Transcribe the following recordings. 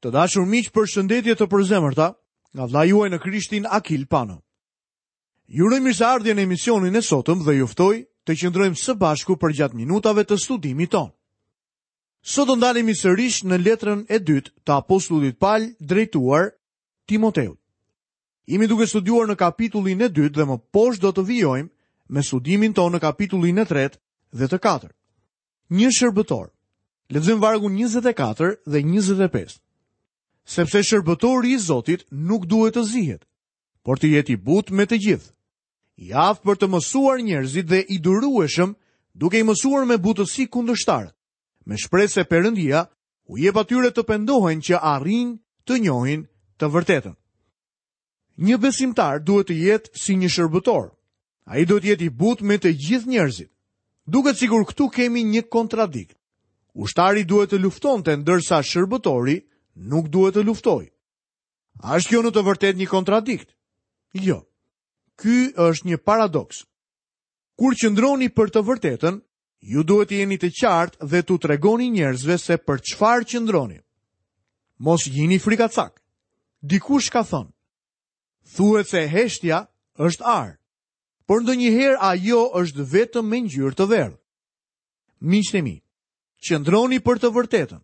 Të dashur miq, përshëndetje të përzemërta nga vëllai juaj në Krishtin Akil Pano. Ju uroj mirëseardhje në emisionin e sotëm dhe ju ftoj të qëndrojmë së bashku përgjatë minutave të studimit tonë. Sot do ndalemi sërish në letrën e dytë të apostullit Pal drejtuar Timoteut. Jemi duke studiuar në kapitullin e dytë dhe më poshtë do të vijojmë me studimin tonë në kapitullin e tretë dhe të katërt. Një shërbëtor. Lexojmë vargun 24 dhe 25. Sepse shërbëtori i Zotit nuk duhet të zihet, por të jetë i butë me të gjithë. I aftë për të mësuar njerëzit dhe i durueshëm, duke i mësuar me butësi kundërshtarët, me shpresë se Perëndia u jep atyre të pendohen që arrijnë të njohin të vërtetën. Një besimtar duhet të jetë si një shërbëtor. Ai duhet të jetë i butë me të gjithë njerëzit. Duket sikur këtu kemi një kontradikt. Ushtari duhet të luftonte ndërsa shërbëtori nuk duhet të luftojë. A është kjo në të vërtetë një kontradikt? Jo. Ky është një paradoks. Kur qëndroni për të vërtetën, ju duhet të jeni të qartë dhe t'u tregoni njerëzve se për çfarë qëndroni. Mos jini frikacakë. Dikush ka thënë, thuhet se heshtja është ar, por ndonjëherë ajo është vetëm me ngjyrë të verdhë. Miqtë e mi, qëndroni për të vërtetën,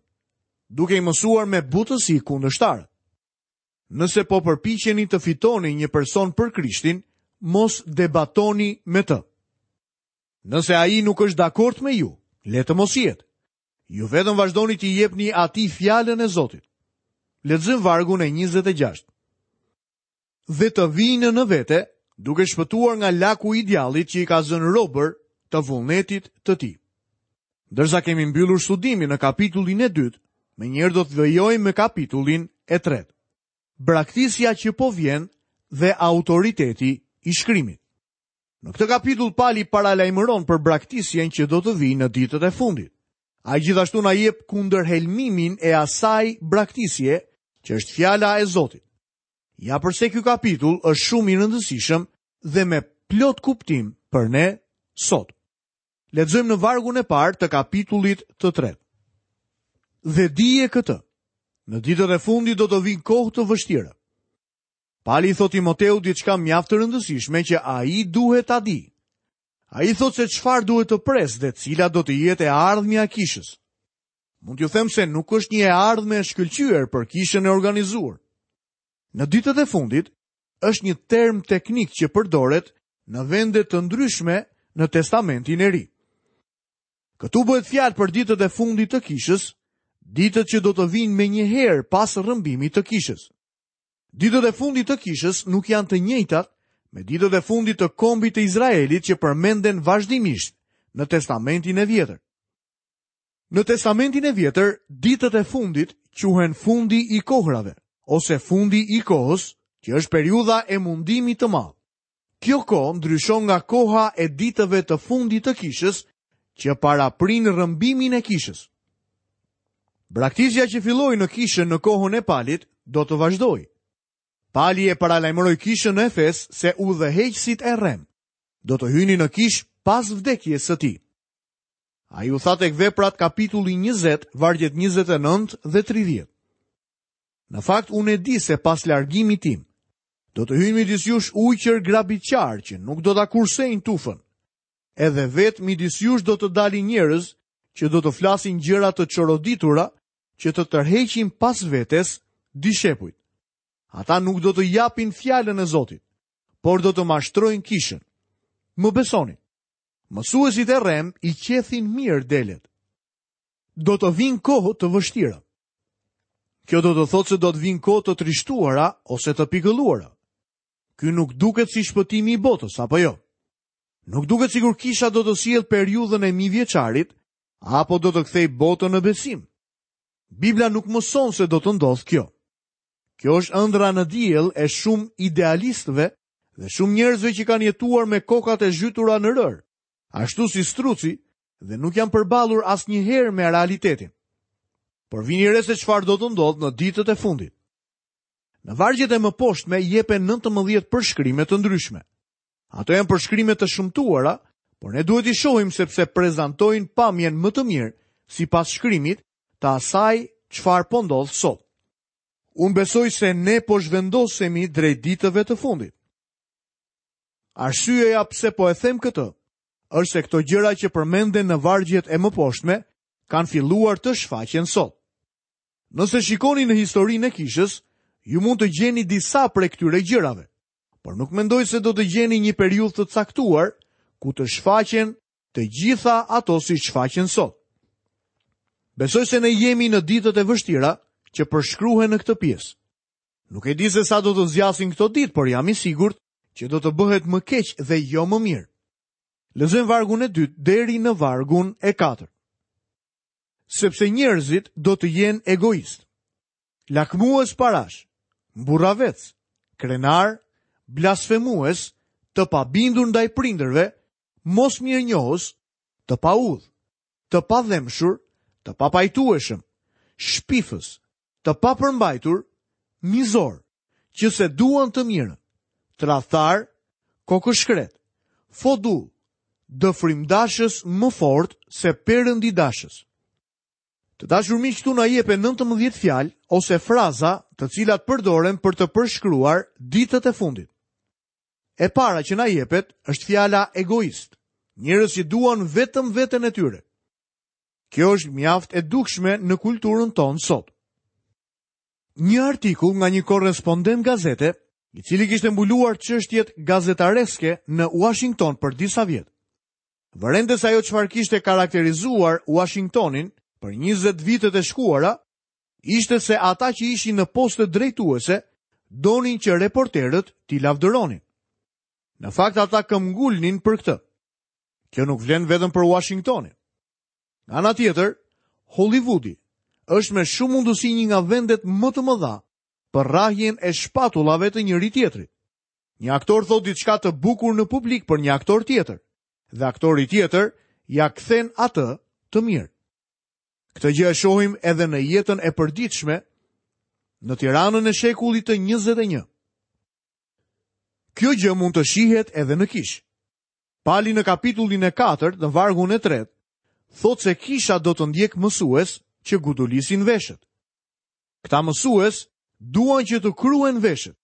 duke i mësuar me butësi kundërshtarët. Nëse po përpiqeni të fitoni një person për Krishtin, mos debatoni me të. Nëse ai nuk është dakord me ju, le të mos jetë. Ju vetëm vazhdoni t'i jepni atij fjalën e Zotit. Lexojmë vargun e 26. Dhe të vijnë në vete, duke shpëtuar nga laku i djallit që i ka zënë robër të vullnetit të tij. Ndërsa kemi mbyllur studimin në kapitullin e dytë, menjëherë do të vijojmë me kapitullin e tretë. Braktisja që po vjen dhe autoriteti i shkrimit. Në këtë kapitull Pali paralajmëron për braktisjen që do të vijë në ditët e fundit. Ai gjithashtu na jep kundërhelmimin e asaj braktisje që është fjala e Zotit. Ja përse ky kapitull është shumë i rëndësishëm dhe me plot kuptim për ne sot. Lexojmë në vargun e parë të kapitullit të tretë. Dhe dije këtë, në ditët e fundit do të vijnë kohë të vështira. Pali i thotë Timoteut diçka mjaft të rëndësishme që ai duhet ta dijë. Ai thotë se çfarë duhet të presë dhe cila do të jetë e ardhmja e kishës. Mund t'ju them se nuk është një e ardhme e shkëlqyer për kishën e organizuar. Në ditët e fundit, është një term teknik që përdoret në vende të ndryshme në Testamentin e Ri. Këtu bëhet fjalë për ditët e fundit të kishës, ditët që do të vijnë menjëherë pas rrëmbimit të kishës. Ditët e fundit të kishës nuk janë të njëjtat me ditët e fundit të kombit të Izraelit që përmenden vazhdimisht në Testamentin e Vjetër. Në Testamentin e Vjetër, ditët e fundit quhen fundi i kohrave ose fundi i kohës, që është periudha e mundimit të madh. Kjo kohë ndryshon nga koha e ditëve të fundit të kishës, që paraprin rrëmbimin e kishës. Braktisja që filloi në kishën në kohën e Palit do të vazhdojë. Pali e paralajmëroi kishën në Efes se udhëheqësit e rremë do të hynin në kishë pas vdekjes së tij. Ai u tha tek Veprat kapitulli 20, vargjet 29 dhe 30. Në fakt unë e di se pas largimit tim, do të hyjnë midis jush ujqër grabitqarë që nuk do ta kursejnë tufën. Edhe vetë midis jush do të dalin njerëz që do të flasin gjëra të çoroditura që të tërheqin pas vetes dishepujt. Ata nuk do të japin fjalën e Zotit, por do të mashtrojnë kishën. Më besoni, mësuesit e rremë i qethin mirë delet. Do të vijnë kohë të vështira. Kjo do të thotë se do të vijnë kohë të trishtuara ose të pikëlluara. Ky nuk duket si shpëtimi i botës, apo jo? Nuk duket sikur kisha do të sjellë periudhën e mijëvjeçarit apo do të kthejë botën në besim. Bibla nuk mëson se do të ndodhë kjo. Kjo është ëndrra në diell e shumë idealistëve dhe shumë njerëzve që kanë jetuar me kokat e zhytura në rërë, ashtu si struci dhe nuk janë përballur asnjëherë me realitetin. Por vini re se çfarë do të ndodhë në ditët e fundit. Në vargjet e mëposhtme jepen 19 përshkrime të ndryshme. Ato janë përshkrime të shëmtuara, por ne duhet t'i shohim sepse prezantojnë pamjen më të mirë sipas shkrimit të asaj çfarë po ndodh sot. Unë besoj se ne po zhvendosemi drejt ditëve të fundit. Arsyeja pse po e them këtë është se këto gjëra që përmenden në vargjet e mëposhtme kanë filluar të shfaqen sot. Nëse shikoni në historinë e kishës, ju mund të gjeni disa prej këtyre gjërave, por nuk mendoj se do të gjeni një periudhë të caktuar ku të shfaqen të gjitha ato siç shfaqen sot. Besoj se ne jemi në ditët e vështira që përshkruhen në këtë pjesë. Nuk e di se sa do të zgjasin këto ditë, por jam i sigurt që do të bëhet më keq dhe jo më mirë. Lexojmë vargun e dytë deri në vargun e katërt. Sepse njerëzit do të jenë egoistë, lakmues parash, mburravecë, krenarë, blasfemues, të pabindur ndaj prindërve, mosmirënjohës, të paudhë, të padhembshur, të papajtueshëm, shpifës, të papërmbajtur, mizorë, që s'e duan të mirën, tradhtarë, kokëshkretë, fodullë, dëfrimdashës më fort se perëndidashës. Të dashur miq, këtu na jepen 19 fjalë ose fraza të cilat përdoren për të përshkruar ditët e fundit. E para që na jepet është fjala egoist, njerëz që duan vetëm veten e tyre. Kjo është mjaft e dukshme në kulturën tonë sot. Një artikull nga një korrespondent gazete, i cili kishte mbuluar çështjet gazetareske në Uashington për disa vjet. Vërente se ajo çfarë kishte karakterizuar Uashingtonin për 20 vitet e shkuara, ishte se ata që ishin në poste drejtuese donin që reporterët t'i lavdëronin. Në fakt ata këmbëngulnin për këtë. Kjo nuk vlen vetëm për Uashingtonin. Nga ana tjetër, Hollywoodi është me shumë mundësi një nga vendet më të mëdha për rrahjen e shpatullave të njëri-tjetrit. Një aktor thotë diçka të bukur në publik për një aktor tjetër dhe aktori tjetër ia kthen atë të mirë. Këtë gjë e shohim edhe në jetën e përditshme në Tiranën e shekullit të 21. Kjo gjë mund të shihet edhe në kishë. Pali në kapitullin e 4, në vargun e 3, thotë se kisha do të ndjekë mësues që gudulisin veshët. Këta mësues duan që të kruhen veshët,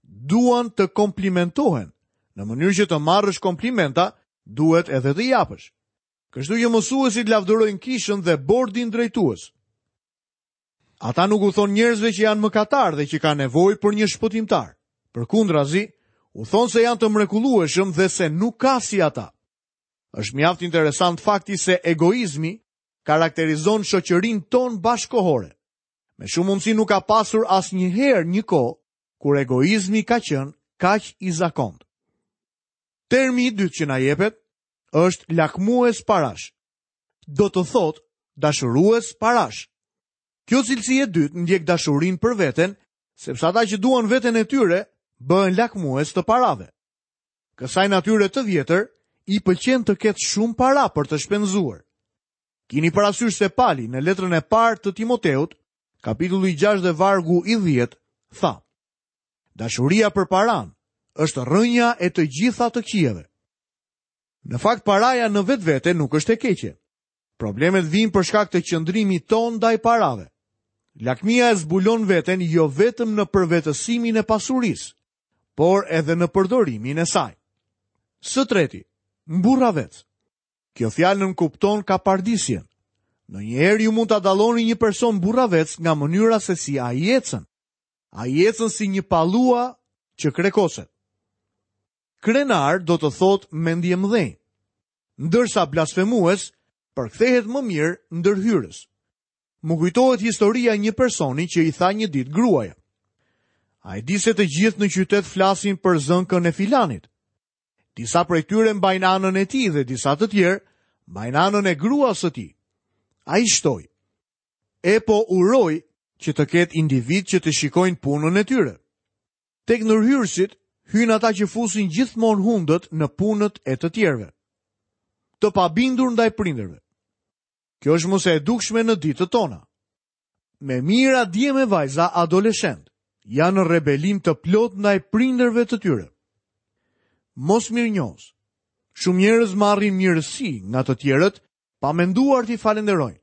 duan të komplimentohen. Në mënyrë që të marrësh komplimenta, duhet edhe të japësh. Kështu që mësuesit lavdërojnë kishën dhe bordin drejtues. Ata nuk u thonë njerëzve që janë mëkatarë dhe që kanë nevojë për një shpëtimtar. Përkundrazi, u thonë se janë të mrekullueshëm dhe se nuk ka si ata. Është mjaft interesant fakti se egoizmi karakterizon shoqërinë tonë bashkëkohore. Me shumë mundësi nuk ka pasur asnjëherë një kohë kur egoizmi ka qenë kaq i zakontë. Termi i dytë që na jepet është lakmues parash. Do të thotë dashurues parash. Kjo cilësi e dytë ndjek dashurinë për veten, sepse ata që duan veten e tyre bëhen lakmues të parave. Kësaj natyre të vjetër i pëlqen të ketë shumë para për të shpenzuar. Kini parasysh se Pali në letrën e parë të Timoteut, kapitulli 6 dhe vargu i 10, tha: Dashuria për paranë është rrënja e të gjitha të këqijave. Në fakt paraja në vetvete nuk është e keqe. Problemet vijnë për shkak të qëndrimit tonë ndaj parave. Lakmia e zbulon veten jo vetëm në përvetësimin e pasurisë, por edhe në përdorimin e saj. Së treti, mburravec. Kjo fjalë nënkupton kapardisjen. Ndonjëherë ju mund ta dalloni një person mburravec nga mënyra se si ai ecën. Ai ecën si një pallua që krekoset. Krenar do të thotë mendjemëdhenj, ndërsa blasfemues përkthehet më mirë ndërhyrës. Më kujtohet historia e një personi që i tha një ditë gruaja. A e di se të gjithë në qytet flasin për zënkën e filanit? Disa prej tyre mbajnë anën e tij dhe disa të tjerë mbajnë anën e gruas së tij. Ai shtoi, e po uroj që të ketë individë që të shikojnë punën e tyre. Tek ndërhyrësit hyjnë ata që fusin gjithmonë hundët në punët e të tjerëve. Të pabindur ndaj prindërve. Kjo është më se e dukshme në ditët tona. Me mijëra djem e vajza adoleshentë janë në rebelim të plotë ndaj prindërve të tyre. Mosmirënjohës. Shumë njerëz marrin mirësi nga të tjerët pa menduar t'i falënderojnë.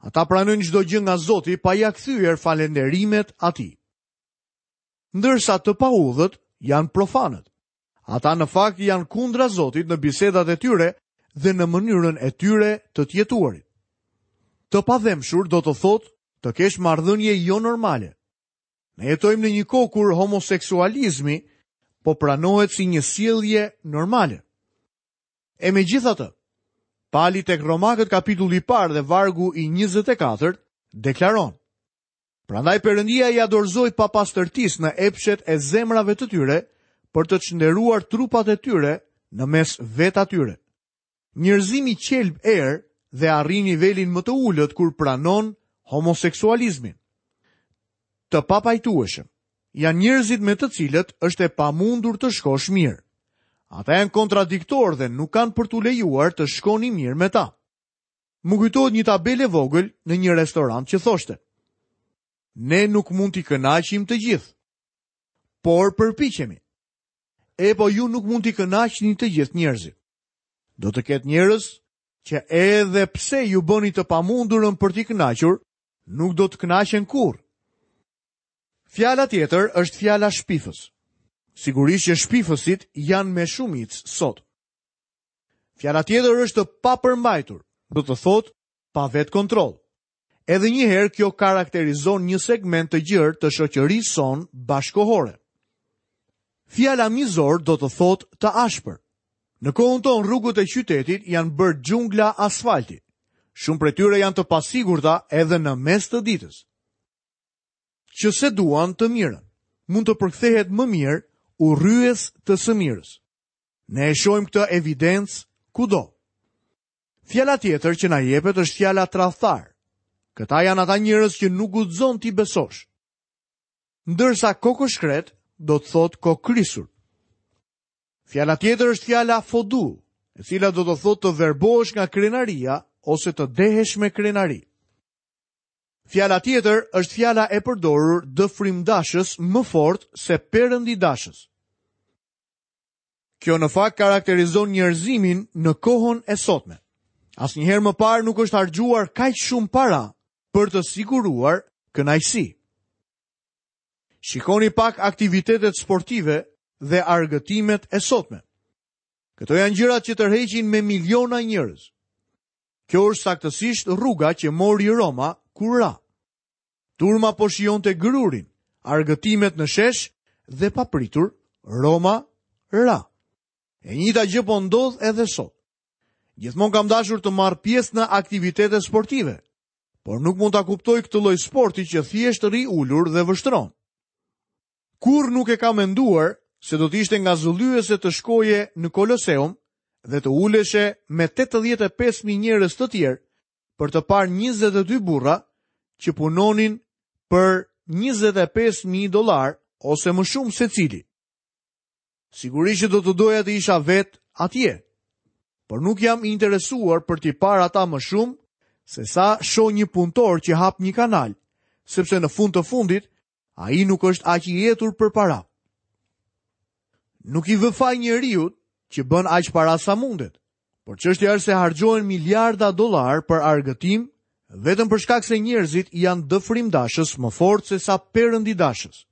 Ata pranojnë çdo gjë nga Zoti pa ia kthyer falënderimet atij. Ndërsa të paudhët janë profanët. Ata në fakt janë kundra Zotit në bisedat e tyre dhe në mënyrën e tyre të të jetuarit. Të padhembshur do të thotë të kesh marrëdhënie jo normale. Ne jetojmë në një kohë kur homoseksualizmi po pranohet si një sjellje normale. E megjithatë, Pali tek Romakët kapitulli i parë dhe vargu i 24 deklaron: Prandaj Perëndia ia dorëzoi papastërtisë në epshet e zemrave të tyre për të çnderuar trupat e tyre në mes vetë atyre. Njerëzimi qelb erë dhe arrin nivelin më të ulët kur pranon homoseksualizmin. Të papajtueshëm janë njerëzit me të cilët është e pamundur të shkosh mirë. Ata janë kontradiktorë dhe nuk kanë për t'u lejuar të shkoni mirë me ta. Më kujtohet një tabelë e vogël në një restorant që thoshte: Ne nuk mund t'i kënaqim të gjithë, por përpiqemi. Epo ju nuk mund t'i kënaqni të gjithë njerëzit. Do të ketë njerëz që edhe pse ju bëni të pamundurën për t'i kënaqur, nuk do të kënaqen kurrë. Fjala tjetër është fjala shpifës. Sigurisht që shpifësit janë me shumicë sot. Fjala tjetër është të papërmbajtur, do të thotë pa vetëkontroll. Edhe një herë kjo karakterizon një segment të gjerë të shoqërisë sonë bashkëkohore. Fjala mizor do të thotë të ashpër. Në kohën tonë rrugët e qytetit janë bërë xhungla asfalti. Shumë prej tyre janë të pasigurta edhe në mes të ditës. Që s'e duan të mirën, mund të përkthehet më mirë urryes të së mirës. Ne e shohim këtë evidencë kudo. Fjala tjetër që na jepet është fjala tradhtar. Këta janë ata njerëz që nuk guxon t'i besosh. Ndërsa kokëshkretë do të thotë kokëkrisur. Fjala tjetër është fjala fodull, e cila do të thotë të verbohesh nga krenaria ose të dehesh me krenari. Fjala tjetër është fjala e përdorur dëfrimdashës më fort se perëndidashës. Kjo në fakt karakterizon njerëzimin në kohën e sotme. Asnjëherë më parë nuk është harxhuar kaq shumë para për të siguruar kënaqësi. Shikoni pak aktivitetet sportive dhe argëtimet e sotme. Këto janë gjërat që tërheqin me miliona njerëz. Kjo është saktësisht rruga që mori Roma kur ra. Turma po shijonte grurin, argëtimet në shesh dhe papritur Roma ra. E njëjta gjë po ndodh edhe sot. Gjithmonë kam dashur të marr pjesë në aktivitete sportive, por nuk mund ta kuptoj këtë lloj sporti që thjesht rri ulur dhe vështron. Kurrë nuk e kam menduar se do të ishte ngazëllyese të shkoje në Koloseum dhe të uleshe me 85.000 njerëz të tjerë për të parë 22 burra që punonin për 25.000 dollarë ose më shumë secili. Sigurisht që do të doja të isha vetë atje, por nuk jam i interesuar për t'i parë ata më shumë se sa shoh një punëtor që hap një kanal, sepse në fund të fundit ai nuk është aq i etur për para. Nuk i vë faj njeriut që bën aq para sa mundet, Por çështja është se harxhohen miliarda dollarë për argëtim vetëm për shkak se njerëzit janë dëfrimdashës më fort se sa perëndidashës.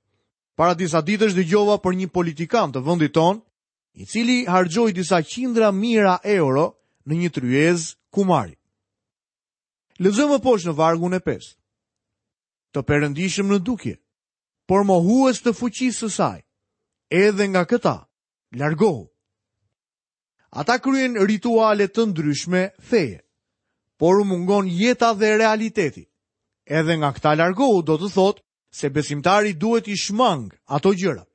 Para disa ditësh dëgjova për një politikan të vendit tonë, i cili harxhoi disa qindra mijëra euro në një tryezë kumari. Lexojmë më poshtë në vargun e 5. Të perëndishëm në dukje, por mohues të fuqisë së saj. Edhe nga këta, largohu. Ata kryejnë rituale të ndryshme feje, por u mungon jeta dhe realiteti. Edhe nga këta largohu do të thotë se besimtari duhet t'i shmangë ato gjëra.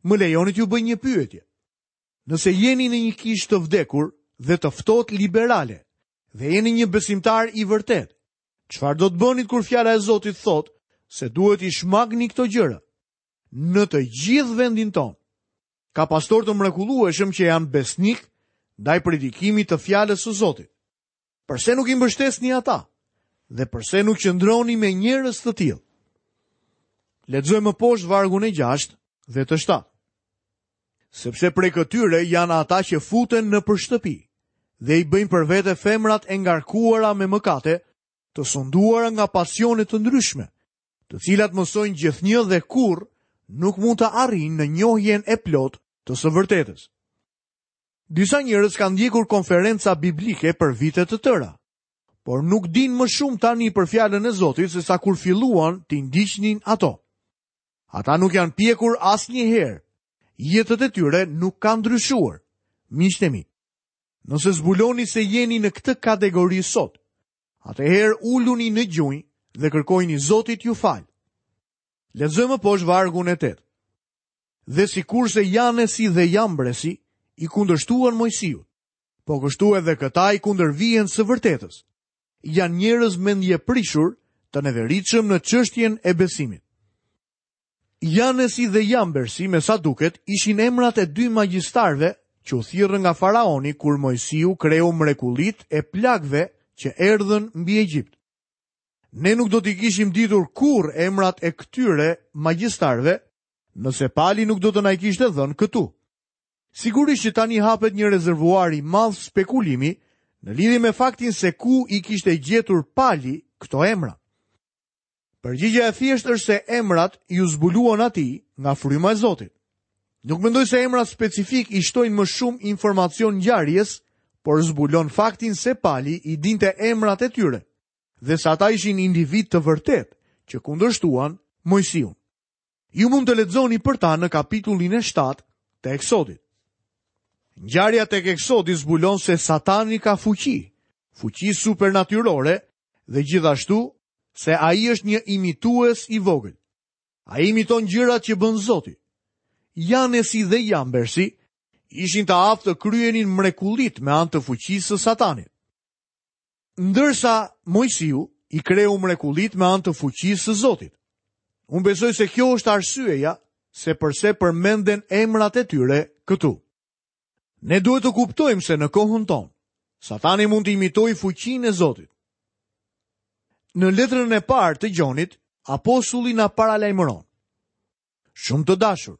Më lejoni t'ju bëj një pyetje. Nëse jeni në një kishë të vdekur dhe të ftohtë liberale dhe jeni një besimtar i vërtetë, çfarë do të bënit kur fjala e Zotit thotë se duhet t'i shmangni këto gjëra? Në të gjithë vendin tonë, Ka pastorë të mrekullueshëm që janë besnikë ndaj predikimit të fjalës së Zotit. Përse nuk i mbështesni ata? Dhe përse nuk qëndroni me njerëz të tillë? Lexojmë më poshtë vargun e 6 dhe të 7. Sepse prej këtyre janë ata që futen nëpër shtëpi dhe i bëjnë për vete femrat e ngarkuara me mëkate, të sunduara nga pasione të ndryshme, të cilat mësojnë gjithnjë dhe kurrë. nuk mund të arrijnë në njohjen e plotë të së vërtetës. Disa njerëz kanë ndjekur konferenca biblike për vite të tëra, por nuk dinë më shumë tani për fjalën e Zotit sesa kur filluan t'i ndiqnin ato. Ata nuk janë pjekur asnjëherë. Jetët e tyre nuk kanë ndryshuar. Miqtë e mi, nëse zbuloni se jeni në këtë kategori sot, atëherë uluni në gjunjë dhe kërkojini Zotit t'ju falë. Lexojmë më poshtë vargun e 8. Dhe sikurse Janesi dhe Jambresi i kundërshtuan Moisiut, po kështu edhe këta i kundërvihen së vërtetës. Janë njerëz mendjeprishur të neveritshëm në çështjen e besimit. Janesi dhe Jambersi, me sa duket, ishin emrat e dy magjistarëve që u thirrën nga faraoni kur Moisiu kreu mrekullitë e plagëve që erdhën mbi Egjipt. Ne nuk do t'i kishim ditur kurrë emrat e këtyre magjistarëve nëse Pali nuk do të na i kishte dhënë këtu. Sigurisht që tani hapet një rezervuar i madh spekulimi në lidhje me faktin se ku i kishte gjetur Pali këto emra. Përgjigja e thjeshtë është se emrat iu zbuluan atij nga fryma e Zotit. Nuk mendoj se emrat specifikë i shtojnë më shumë informacion ngjarjes, por zbulon faktin se Pali i dinte emrat e tyre dhe se ata ishin individë të vërtetë që kundërshtuan Moisiun. Ju mund të lexoni për ta në kapitullin e 7 të Eksodit. Ngjarja tek Eksodi zbulon se Satani ka fuqi, fuqi supernatyrore dhe gjithashtu se ai është një imitues i vogël. Ai imiton gjërat që bën Zoti. Janesi dhe Jambersi ishin të aftë të kryenin mrekullitë me anë të fuqisë së Satanit. Ndërsa Moisiu i kreu mrekullitë me anë të fuqisë së Zotit. Unë besoj se kjo është arsyeja se përse përmenden emrat e tyre këtu. Ne duhet të kuptojmë se në kohën tonë, Satani mund të imitojë fuqinë e Zotit. Në letrën e parë të Gjonit, apostulli na paralajmëron. Shumë të dashur,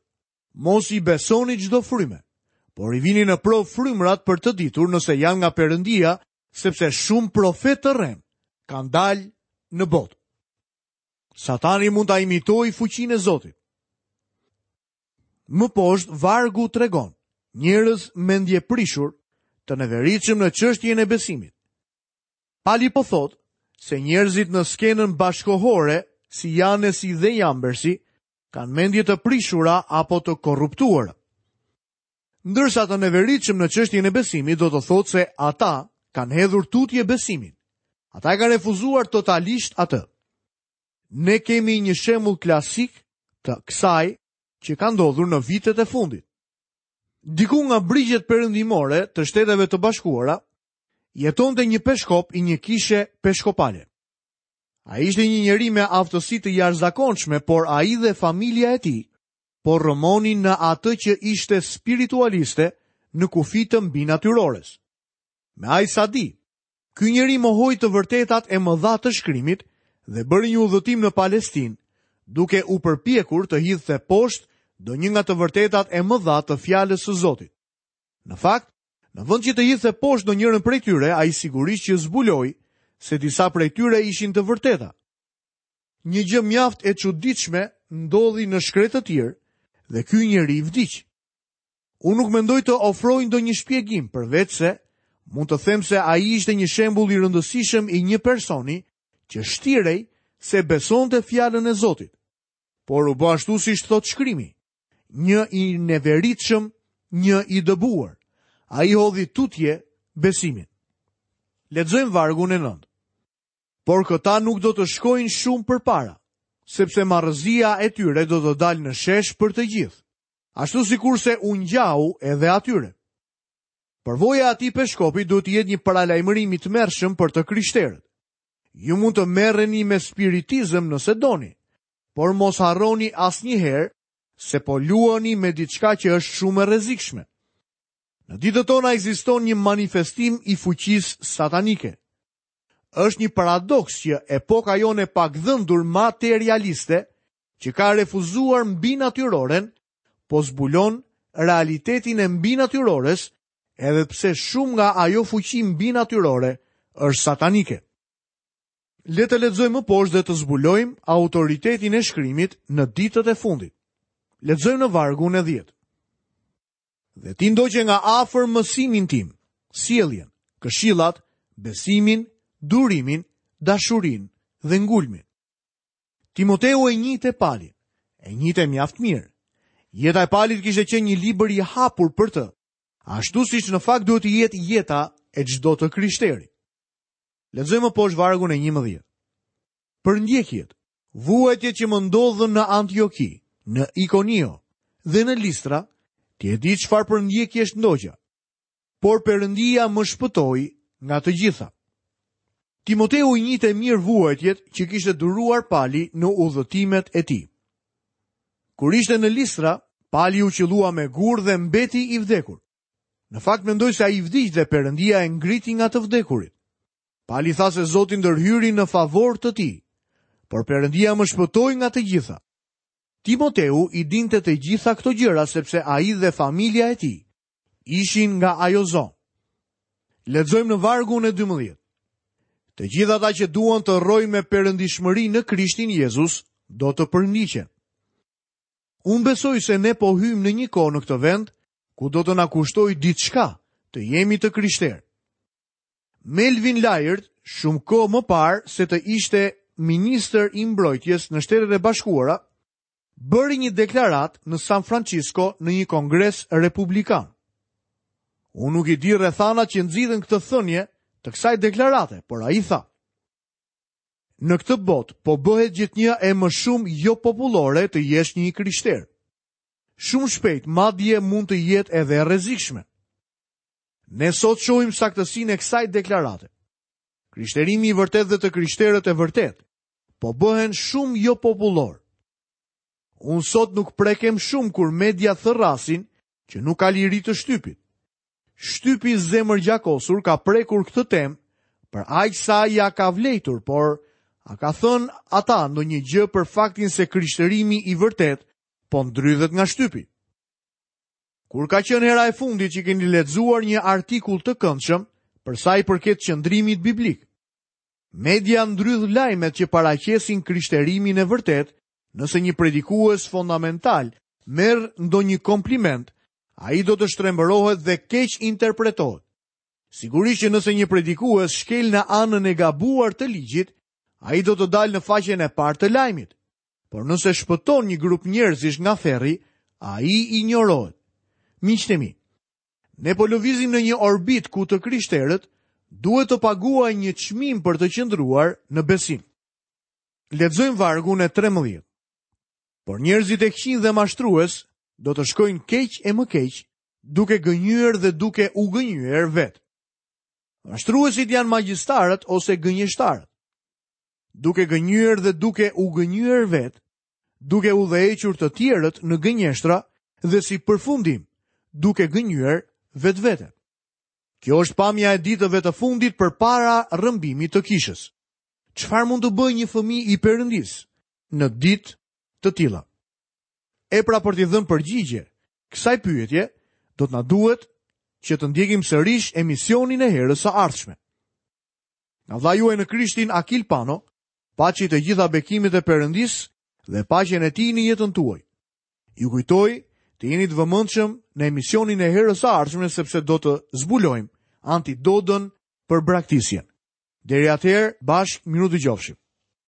mos i besoni çdo fryme, por i vini në provë frymërat për të ditur nëse janë nga Perëndia, sepse shumë profetë të rremë kanë dalë në botë. Satani mund ta imitojë fuqinë e Zotit. Më poshtë vargu tregon njerëz mendjeprishur të neveritshëm në çështjen e besimit. Pali po thotë se njerëzit në skenën bashkëkohore si Janesi dhe Jambersi kanë mendje të prishura apo të korruptuara. Ndërsa të neveritshëm në çështjen e besimit do të thotë se ata kanë hedhur tutje besimin. Ata e kanë refuzuar totalisht atë. Ne kemi një shembull klasik të kësaj që ka ndodhur në vitet e fundit. Diku nga brigjet perëndimore të Shteteve të Bashkuara, jetonte një peshkop i një kishe peshkopale. Ai ishte një njeri me aftësi të jashtëzakonshme, por ai dhe familja e tij po rrëmonin në atë që ishte spiritualiste në kufi të mbinatyrores. Me aq sa di, Ky njeri mohoi të vërtetat e mëdha të shkrimit dhe bëri një udhëtim në Palestinë, duke u përpjekur të hidhte poshtë ndonjë nga të vërtetat e mëdha të fjalës së Zotit. Në fakt, në vend që të hidhte poshtë ndonjërën prej tyre, ai sigurisht që zbuloi se disa prej tyre ishin të vërteta. Një gjë mjaft e çuditshme ndodhi në shkretëtirë dhe ky njeri vdiq. Unë nuk mendoj të ofroj ndonjë shpjegim, përveçse mund të them se ai ishte një shembull i rëndësishëm i një personi që shtirej se besonte fjalën e Zotit. Por u bë ashtu siç thotë shkrimi, një i neveritshëm, një i dëbuar. Ai hodhi tutje besimin. Lexojmë vargun e 9. Por këta nuk do të shkojnë shumë përpara, sepse marrëzia e tyre do të dalë në shesh për të gjithë. Ashtu sikurse u ngjau edhe atyre. Përvoja e atij peshkopi duhet të jetë një paralajmërim i tmerrshëm për të krishterët. Ju mund të merreni me spiritizëm nëse doni, por mos harroni asnjëherë se po luani me diçka që është shumë e rrezikshme. Në ditët tona ekziston një manifestim i fuqisë satanike. Është një paradoks që epoka jonë e pagdhendur materialiste që ka refuzuar mbinatyroren, po zbulon realitetin e mbinatyrores, edhe pse shumë nga ajo fuqi mbinatyrore është satanike. Le të lexojmë më poshtë dhe të zbulojmë autoritetin e shkrimit në ditët e fundit. Lexojmë në vargun e 10. Dhe ti ndoqe nga afër mësimin tim, sjelljen, këshillat, besimin, durimin, dashurinë dhe ngulmin. Timoteu e njihte Palin, e njihte mjaft mirë. Jeta e Palit kishte qenë një libër i hapur për të, ashtu siç në fakt duhet të jetë jeta e çdo të krishteri. Lexojmë më poshtë vargun e 11. Përndjekjet, vuajtjet që më ndodhën në Antioki, në Ikonio dhe në Listra, ti e di çfarë përndjekjesh ndoqa. Por Perëndia më shpëtoi nga të gjitha. Timoteu i njihte mirë vuajtjet që kishte duruar Pali në udhëtimet e tij. Kur ishte në Listra, Pali u qëllua me gurë dhe mbeti i vdekur. Në fakt mendoj se ai vdiq dhe Perëndia e ngriti nga të vdekurit. Pali tha se Zoti ndërhyri në favor të tij, por Perëndia më shpëtoi nga të gjitha. Timoteu i dinte të gjitha këto gjëra sepse ai dhe familja e tij ishin nga ajo zonë. Lexojmë në vargun e 12. Të gjithë ata që duan të rrojnë me perëndishmëri në Krishtin Jezus do të përndiqen. Unë besoj se ne po hyjmë në një kohë në këtë vend ku do të na kushtojë diçka të jemi të krishterë. Melvin Laird, shumë kohë më parë se të ishte ministër i mbrojtjes në Shtetet e Bashkuara, bëri një deklaratë në San Francisco në një kongres republikan. Unë nuk i di rrethanat që nxitën këtë thënie të kësaj deklarate, por ai tha: Në këtë botë po bëhet gjithnjë e më shumë jopopullore të jesh një i krishterë. Shumë shpejt madje mund të jetë edhe e rrezikshme. Ne sot shohim saktësinë e kësaj deklarate. Krishterimi i vërtetë dhe të krishterët e vërtetë po bëhen shumë jopopullorë. Unë sot nuk prekem shumë kur media thërrasin që nuk ka liri të shtypit. Shtypi zemërgjakosur ka prekur këtë temë për aq sa ia ka vlejtur, por a ka thënë ata ndonjë gjë për faktin se krishterimi i vërtetë po ndrydhet nga shtypi? Kur ka qenë hera e fundit që keni lexuar një artikull të këndshëm për sa i përket qëndrimit biblik? Media ndrydh lajmet që paraqesin krishterimin e vërtetë, nëse një predikues fondamental merr ndonjë kompliment, ai do të shtrembërohet dhe keqinterpretohet. Sigurisht që nëse një predikues shkel në anën e gabuar të ligjit, ai do të dalë në faqen e parë të lajmit. Por nëse shpëton një grup njerëzish nga ferri, ai injorohet. Miqtë e mi, Ne po lëvizim në një orbitë ku të krishterët duhet të paguajnë një çmim për të qëndruar në besim. Lexojmë vargun e 13. Por njerëzit e këqinj dhe mashtrues do të shkojnë keq e më keq, duke gënjyer dhe duke u gënjyer vetë. Mashtruesit janë magjistarët ose gënjeshtarët. Duke gënjyer dhe duke u gënjyer vetë, duke udhëhequr të tjerët në gënjeshtra dhe si përfundim, duke gënjyer vetveten. Kjo është pamja e ditëve të fundit përpara rrëmbimit të kishës. Çfarë mund të bëjë një fëmijë i Perëndisë në ditë të tilla? E pra për t'i dhënë përgjigje kësaj pyetje, do të na duhet që të ndjekim sërish emisionin e herës së ardhshme. Nga vëllai juaj në Krishtin Akil Pano, Paçi të gjitha bekimet e Perëndisë dhe paqen e Tij në jetën tuaj. Ju kujtoj të jeni të vëmendshëm në emisionin e herës së ardhshme sepse do të zbulojmë antidodën për braktisjen. Deri atëherë, bashkë mirudëgjofshim.